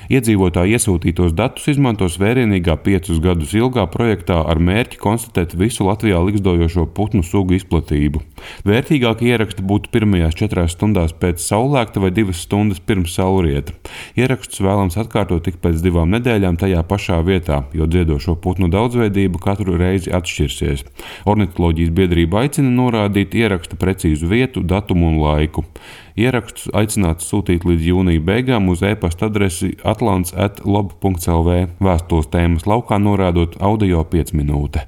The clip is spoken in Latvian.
Iedzīvotāji iesūtītos datus izmantos vērienīgā 5 gadus ilgā projektā ar mērķi konstatēt visu Latvijā ligzdojošo putnu sugu izplatību. Vērtīgākie ieraksti būtu pirmajās 4 stundās pēc saulēkta vai 2 stundas pirms saulrieta. Ierakstus vēlams atkārtot tik pēc 2 nedēļām tajā pašā vietā, jo dziedošo putnu daudzveidība katru reizi atšķirsies. Ornitoloģijas biedrība aicina norādīt ieraksta precīzu vietu, datumu un laiku. Ierakstus aicināts sūtīt līdz jūnija beigām uz e-pasta adresi atlants@lob.lv, vēstules tēmas laukā norādot audio 5 minūte.